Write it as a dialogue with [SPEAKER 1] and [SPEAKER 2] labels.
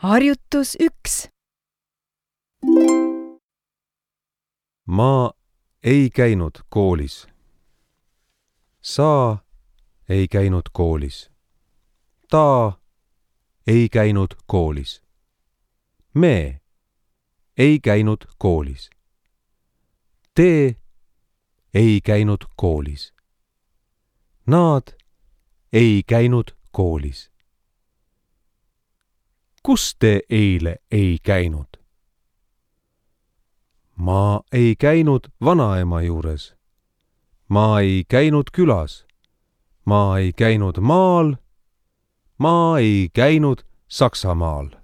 [SPEAKER 1] Harjutus 1.
[SPEAKER 2] Ma ei käinud koolis. Sa ei käinud koolis. Ta ei käinud koolis. Me ei käinud koolis. Te ei käinud koolis. Nad ei käinud koolis. Kus te eile ei käinud? Ma ei käinud vanaema juures. Ma ei käinud külas. Ma ei käinud maal. Ma ei käinud Saksamaal.